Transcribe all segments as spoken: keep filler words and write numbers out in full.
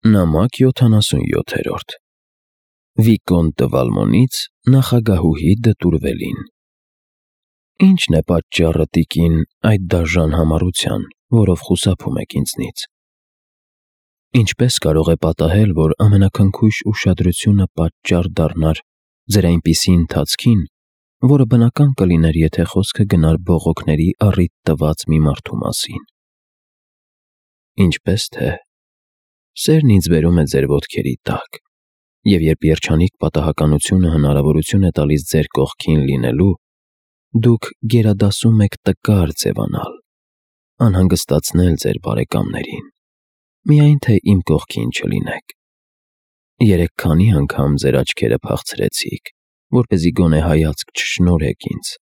Նամակ յոթանասունյոթերորդ Վիկոնտ դը Վալմոնից նախագահուհի դտուրվելին։ Ի՞նչն է պատճառը, տիկին, այդ դաժան համառության, որով խուսափում եք ինձնից։ Ինչպե՞ս կարող է պատահել, որ ամենաքնքույշ ուշադրությունը պատճառ դառնար ձեր այնպիսի ընթացքին, որը բնական կլիներ, եթե խոսքը գնար բողոքների առիթ տված մի մարդու մասին։ Ինչպես թե սերն ինձ բերում է ձեր ոտքերի տակ, և երբ երջանիկ պատահականությունը հնարավորություն է տալիս ձեր կողքին լինելու, դուք գերադասում եք տկար ձևանալ, անհանգստացնել ձեր բարեկամներին, միայն թե իմ կողքին չլինեք։ Երեկ քանի անգամ ձեր աչքերը փախցրեցիք, որպեսզի գոնե հայացք չշնորհեք ինձ։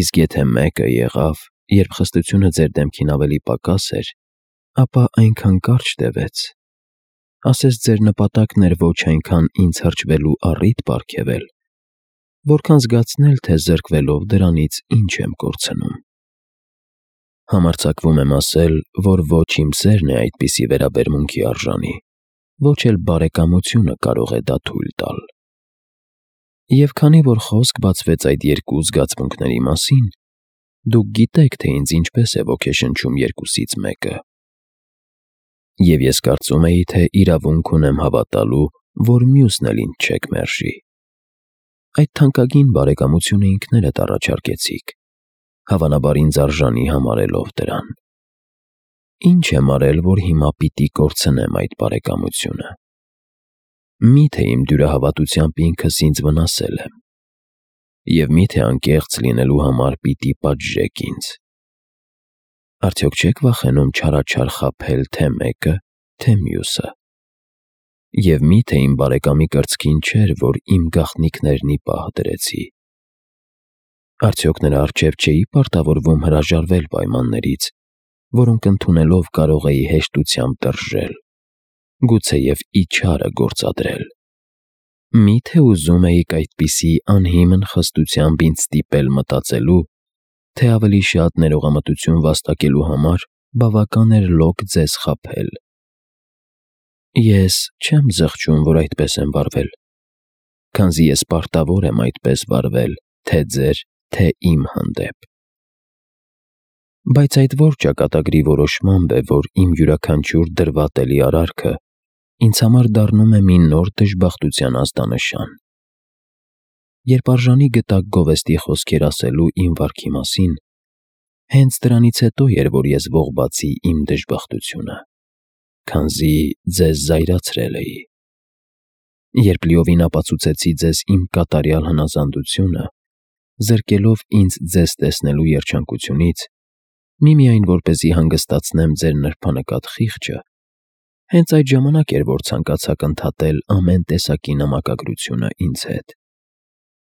Իսկ եթե մեկը եղավ, երբ խստությունը ձեր դեմքին ավելի պակաս էր, ապա այնքան կարճ տևեց, ասես ձեր նպատակն էր ոչ այնքան ինձ հրճվելու առիթ պարգևել, որքան զգացնել, թե զրկվելով դրանից ինչ եմ կորցնում։ Համարձակվում եմ ասել, որ ոչ իմ սերն է այդպիսի վերաբերմունքի արժանի, ոչ էլ բարեկամությունը կարող է դա թույլ տալ։ Եվ քանի որ խոսք բացվեց այդ երկու զգացմունքների մասին, դուք գիտեք, թե ինձ ինչպես է ոգեշնչում երկուսից մեկը։ Եվ ես կարծում էի, թե իրավունք ունեմ հավատալու, որ մյուսն էլ ինձ չեք մերժի։ Այդ թանկագին բարեկամությունը ինքներդ առաջարկեցիք, հավանաբար ինձ արժանի համարելով դրան։ Ինչ եմ արել, որ հիմա պիտի կորցնեմ այդ բարեկամությունը։ Մի՞թե իմ դյուրահավատությամբ ինքս ինձ վնասել եմ։ Եվ մի՞թե անկեղծ լինելու համար պիտի պատժեք ինձ։ Արդյոք չեք վախենում չարաչար խաբել թե մեկը, թե մյուսը։ Եվ մի՞թե իմ բարեկամի կրծքին չէր, որ իմ գաղտնիքներն ի պահ դրեցի։ Արդյոք նրա առջև չէի պարտավորվում հրաժարվել պայմաններից, որոնք ընդունելով կարող էի հեշտությամբ տռժել, գուցեև իչարը գործադրել։ Մի՞թե ուզում էիք այդպիսի անհիմն խստությամբ ինձ ստիպել մտածելու, թե ավելի շատ ներողամտություն վաստակելու համար բավական էր լոկ ձեզ խաբել։ Ես չեմ զղջում, որ այդպես եմ վարվել, քանզի ես պարտավոր եմ այդպես վարվել թե ձեր, թե իմ հանդեպ։ Բայց այդ որ ճակատագրի որոշմամբ է, որ իմ յուրաքանչյուր դրվատելի արարքը ինձ համար դառնում է մի նոր դժբախտության ազդանշան։ Երբ արժանի գտաք գովեստի խոսքեր ասելու իմ վարքի մասին, հենց դրանից հետո էր, որ ես ողբացի իմ դժբախտությունը, քանզի ձեզ զայրացրել էի։ Երբ լիովին ապացուցեցի ձեզ իմ կատարյալ հնազանդությունը, զրկելով ինձ ձեզ տեսնելու երջանկությունից, միմիայն որպեսզի հանգստացնեմ ձեր նրբանկատ խիղճը, հենց այդ ժամանակ էր, որ ցանկացաք ընդհատել ամեն տեսակի նամակագրությունը ինձ հետ։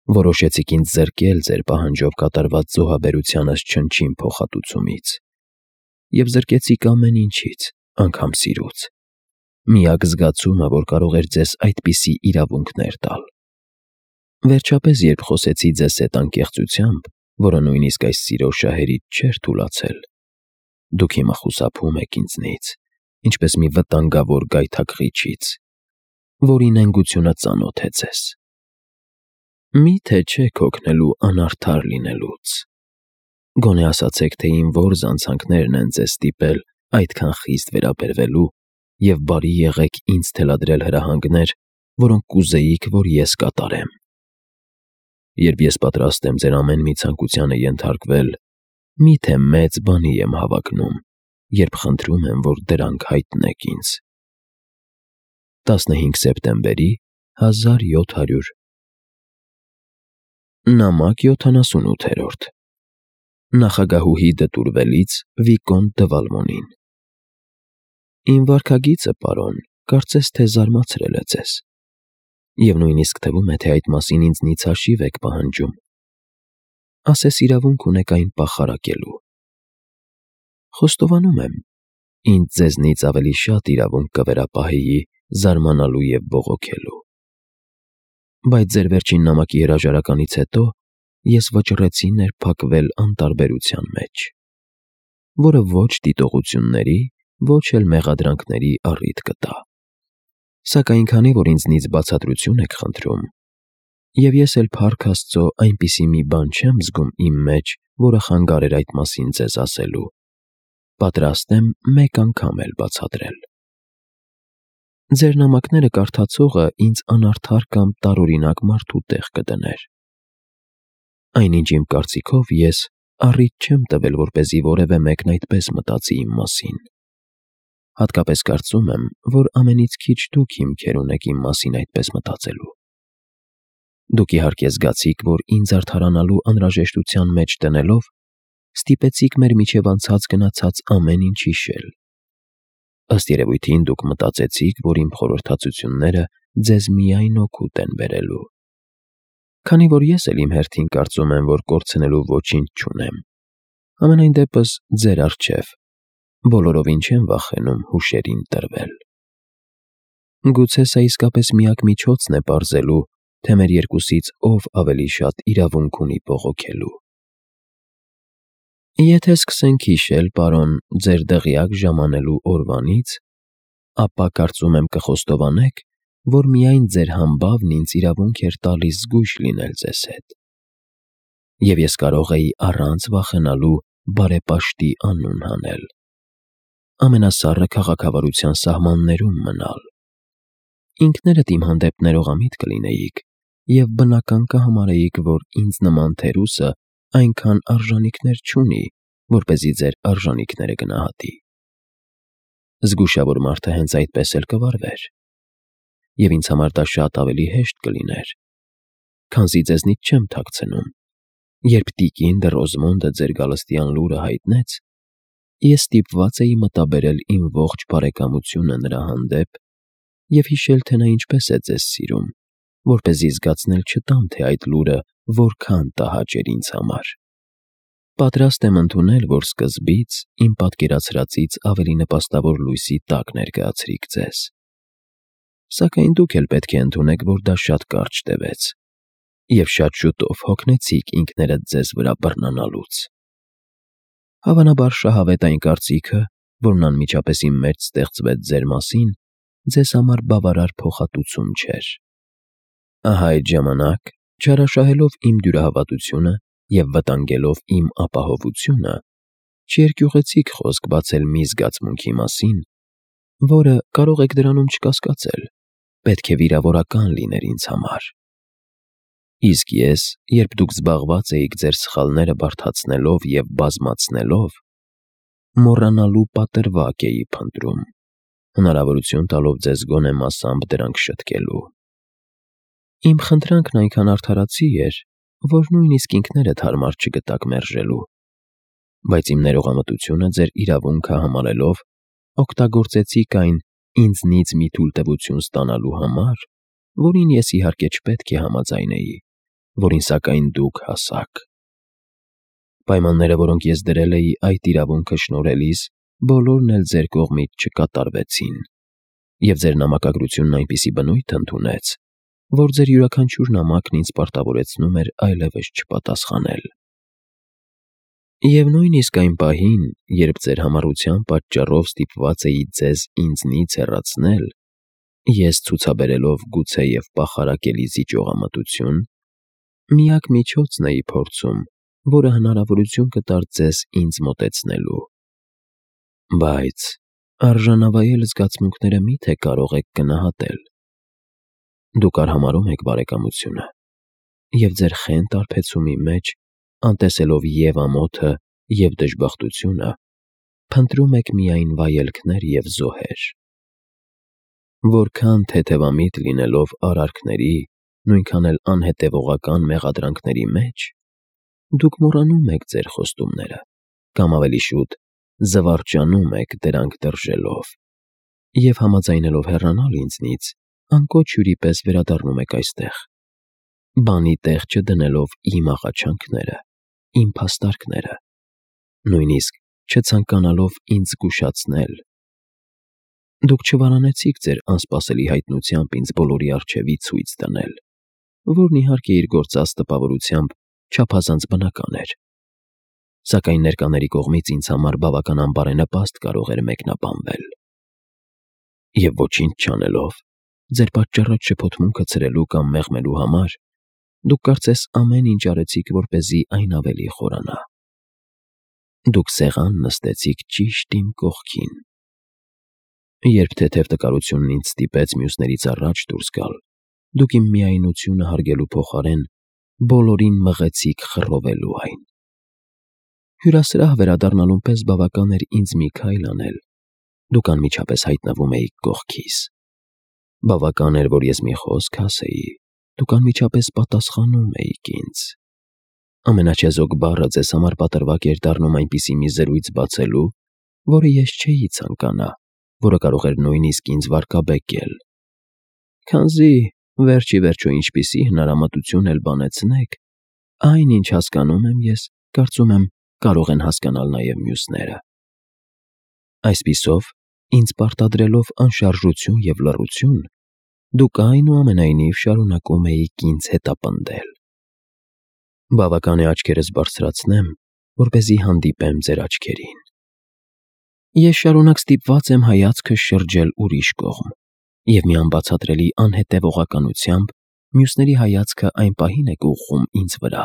Որոշեցիք ինձ զրկել ձեր պահանջով կատարված զոհաբերությանս չնչին փոխհատուցումից, և զրկեցիք ամեն ինչից, անգամ սիրուց, միակ զգացումը, որ կարող էր ձեզ այդպիսի իրավունքներ տալ։ Վերջապես, երբ խոսեցի ձեզ հետ անկեղծությամբ, որը նույնիսկ այս սիրո շահերից չէր թուլացել, դուք հիմա խուսափում եք ինձնից, ինչպես մի վտանգավոր գայթակղիչից, որի նենգությունը ծանոթ է ձեզ։ Մի՞թե չեք հոգնելու անարդար լինելուց։ Գոնե ասացեք, թե իմ որ զանցանքներն են ձեզ ստիպել այդքան խիստ վերաբերվելու և բարի եղեք ինձ թելադրել հրահանգներ, որոնք կուզեիք, որ ես կատարեմ։ Երբ ես պատրաստ եմ ձեր ամեն մի ցանկությանը ենթարկվել, մի՞թե մեծ բանի եմ հավակնում, երբ խնդրում եմ, որ դրանք հայտնեք ինձ։ տասնհինգ սեպտեմբերի հազար յոթ հարյուր Նամակ յոթանասունութերորդ Նախագահուհի դտուրվելից Վիկոնտ դը Վալմոնին։ Իմ վարքագիծը, պարոն, կարծես թե զարմացրել է ձեզ, և նույնիսկ թվում է, թե այդ մասին ինձնից հաշիվ եք պահանջում։ Ասես իրավունք ունեք այն պախարակելու։ Խոստովանում եմ, ինձ ձեզնից ավելի շատ իրավունք կվերապահեի զարմանալու և բողոքելու։ Բայց ձեր վերջին նամակի հրաժարականից հետո ես վճռեցի ներփակվել անտարբերության մեջ, որը ոչ դիտողությունների ոչ էլ մեղադրանքների առիթ կտա։ Սակայն քանի որ ինձնից բացատրություն եք խնդրում, եւ ես էլ փառք Աստծո այնպիսի մի բան չեմ զգում իմ մեջ, որը խանգարեր այդ մասին ձեզ ասելու, պատրաստ եմ մեկ անգամ էլ բացատրել։ Ձեր նամակները կարդացողը ինձ անարդար կամ տարօրինակ մարդու տեղ կդներ։ Այնինչ իմ կարծիքով ես առիթ չեմ տվել, որպեսզի որևէ մեկն այդպես մտածի իմ մասին։ Հատկապես կարծում եմ, որ ամենից քիչ դուք հիմքեր ունեք իմ մասին այդպես մտածելու։ Դուք իհարկե զգացիք, որ ինձ արդարանալու անհրաժեշտության մեջ տնելով, ստիպեցիք մեր միջև անցած գնացած ամեն ինչ հիշել։ Ըստ երևույթին դուք մտածեցիք, որ իմ խորհրդածությունները ձեզ միայն օգուտ են բերելու։ Քանի որ ես էլ իմ հերթին կարծում եմ, որ կորցնելու ոչինչ չունեմ, համենայն դեպս ձեր առջև բոլորովին չեմ վախենում հուշերին տրվել։ Գուցե սա իսկապես միակ միջոցն է պարզելու, թե մեր երկուսից ով ավելի շատ իրավունք ունի բողոքելու։ Եթե սկսենք հիշել, պարոն, ձեր դղյակ ժամանելու օրվանից, ապա կարծում եմ կխոստովանեք, որ միայն ձեր համբավն ինձ իրավունք էր տալիս զգույշ լինել ձեզ հետ։ Եվ ես կարող էի առանց վախենալու բարեպաշտի անուն հանել, ամենասառը քաղաքավարության սահմաններում մնալ։ Ինքներդ իմ հանդեպ ներողամիտ կլինեիք և բնական կհամարեիք, որ ինձ նման թերուսը այնքան արժանիքներ չունի, որպեսզի ձեր արժանիքները գնահատի։ Զգուշավոր մարդը հենց այդպես էլ կվարվեր, և ինձ համար դա շատ ավելի հեշտ կլիներ, քանզի ձեզնից չեմ թաքցնում, երբ տիկին դը Ռոզմոնդը ձեր գալստյան լուրը հայտնեց, ես ստիպված էի մտաբերել իմ ողջ բարեկամությունը նրա հանդեպ և հիշել, թե նա ինչպես է ձեզ սիրում, որպեսզի զգացնել չտամ, թե այդ լուրը որքան տհաճ էր ինձ համար։ Պատրաստ եմ ընդունել, որ սկզբից իմ պատկերացրածից ավելի նպաստավոր լույսի տակ ներկայացրիք ձեզ։ Սակայն դուք էլ պետք է ընդունեք, որ դա շատ կարճ տևեց, և շատ շուտով հոգնեցիք ինքներդ ձեզ վրա բռնանալուց։ Հավանաբար շահավետ այն կարծիքը, որն անմիջապես իմ մեջ ստեղծվեց ձեր մասին, ձեզ համար բավարար փոխհատուցում չէր։ Ահա այդ ժամանակ, չարաշահելով իմ դյուրահավատությունը և վտանգելով իմ ապահովությունը, չերկյուղեցիք խոսք բացել մի զգացմունքի մասին, որը, կարող եք դրանում չկասկածել, պետք է վիրավորական լիներ ինձ համար։ Իսկ ես, երբ դուք զբաղված էիք ձեր սխալները բարդացնելով և բազմացնելով, մոռանալու պատրվակ էի փնտրում, հնարավորություն տալով ձեզ գոնե մասամբ դրանք շտկելու։ Իմ խնդրանքն այնքան արդարացի էր, որ նույնիսկ ինքներդ հարմար չգտաք մերժելու, բայց իմ ներողամտությունը ձեր իրավունքը համարելով, օգտագործեցիք այն ինձնից մի թույլտվություն ստանալու համար, որին ես իհարկե չպետք է համաձայնեի, որին սակայն դուք հասաք։ Պայմանները, որոնք ես դրել էի այդ իրավունքը շնորհելիս, բոլորն էլ ձեր կողմից չկատարվեցին, և ձեր նամակագրությունն այնպիսի բնույթ ընդունեց, որ ձեր յուրաքանչյուր նամակն ինձ պարտավորեցնում էր այլևս չպատասխանել։ Եվ նույնիսկ այն պահին, երբ ձեր համառության պատճառով ստիպված էի ձեզ ինձնից հեռացնել, ես ցուցաբերելով գուցեև պախարակելի զիջողամտություն, միակ միջոցն էի փորձում, որը հնարավորություն կտար ձեզ ինձ մոտեցնելու։ Բայց արժանավայել զգացմունքները մի՞թե կարող եք գնահատել։ Դուք արհամարհում եք բարեկամությունը, և ձեր խենթ արբեցումի մեջ, անտեսելով և ամոթը, և դժբախտությունը, փնտրում եք միայն վայելքներ և զոհեր։ Որքան թեթևամիտ լինելով արարքների, նույնքան էլ անհետևողական մեղադրանքների մեջ, դուք մոռանում եք ձեր խոստումները, կամ ավելի շուտ, զվարճանում եք դրանք տырժելով, և համաձայնելով հեռանալ ինձնից, անկոչ հյուրի պես վերադառնում եք այստեղ, բանի տեղ չդնելով իմ աղաչանքները, իմ փաստարկները, նույնիսկ չցանկանալով ինձ զգուշացնել։ Դուք չվարանեցիք ձեր անսպասելի հայտնությամբ ինձ բոլորի առջևից ցույց տնել, որն իհարկե իր գործած տպավորությամբ չափազանց բնական էր։ սակայն ներկաների կողմից ինձ համար բավական անբարենպաստ կարող էր մեկնաբանվել։ Եվ ոչինչ չանելով, ձեր պատճառած շփոթմունքը ցրելու կամ մեղմելու համար, դուք կարծես ամեն ինչ արեցիք, որպեսզի այն ավելի խորանա։ Դուք սեղան նստեցիք ճիշտ իմ կողքին։ Երբ թեթև տկարությունն ինձ ստիպեց մյուսներից առաջ դուրս գալ, դուք իմ միայնությունը հարգելու փոխարեն բոլորին մղեցիք խռովելու այն։ Հյուրասրահ վերադառնալուն պես բավական էր ինձ մի քայլ անել, դուք անմիջապես հայտնվում էիք կողքիս։ Բավական էր, որ ես մի խոսք ասեի, դուք անմիջապես պատասխանում էիք ինձ։ Ամենաչեզոք բառը ձեզ համար պատրվակ էր դառնում այնպիսի մի զրույց բացելու, որը ես չէի ցանկանա, որը կարող էր նույնիսկ ինձ վարկաբեկել։ Քանզի վերջ ի վերջո ինչպիսի հնարամտություն էլ բանեցնեք, այն, ինչ հասկանում եմ ես, կարծում եմ, կարող են հասկանալ նաև մյուսները։ Այսպիսով, ինձ պարտադրելով անշարժություն և լռություն, դուք այնուամենայնիվ շարունակում էիք ինձ հետապնդել։ Բավական է աչքերս բարձրացնեմ, որպեսզի հանդիպեմ ձեր աչքերին։ Ես շարունակ ստիպված եմ հայացքս շրջել ուրիշ կողմ, և մի անբացատրելի անհետևողականությամբ մյուսների հայացքը այն պահին եք ուղղում ինձ վրա,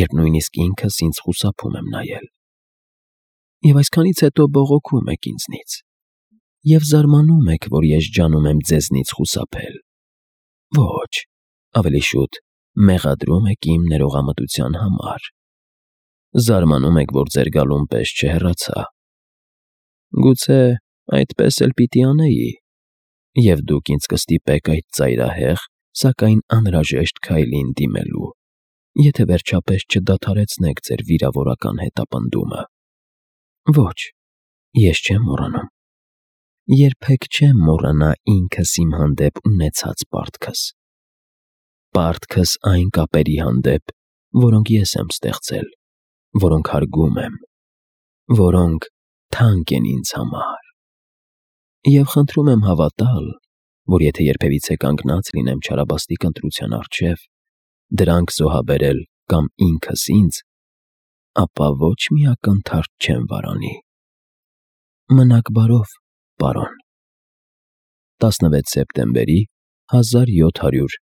երբ նույնիսկ ինքս ինձ խուսափում եմ նայել։ Եվ այսքանից հետո բողոքում եք ինձնից, և զարմանում եք, որ ես ջանում եմ ձեզնից խուսափել։ Ոչ, ավելի շուտ մեղադրում եք իմ ներողամտության համար։ Զարմանում եք, որ ձեր գալուն պես չհեռացա։ Գուցե այդպես էլ պիտի անեի, և դուք ինձ կստիպեք այդ ծայրահեղ, սակայն անհրաժեշտ քայլին դիմելու, եթե վերջապես չդադարեցնեք ձեր վիրավորական հետապնդումը։ Ոչ, ես չեմ մոռանում։ Երբեք չեմ մոռանա ինքս իմ հանդեպ ունեցած պարտքս։ Պարտքս այն կապերի հանդեպ, որոնք ես եմ ստեղծել, որոնք հարգում եմ, որոնք թանկ են ինձ համար։ Եվ խնդրում եմ հավատալ, որ եթե երբևիցե կանգնած լինեմ չարաբաստիկ ընտրության առջև, դրանք զոհաբերել կամ ինքս ինձ, ապա ոչ մի ակնթարթ չեմ վարանի։ Մնաք բարով, պարոն։ տասնվեց սեպտեմբերի հազար յոթ հարյուր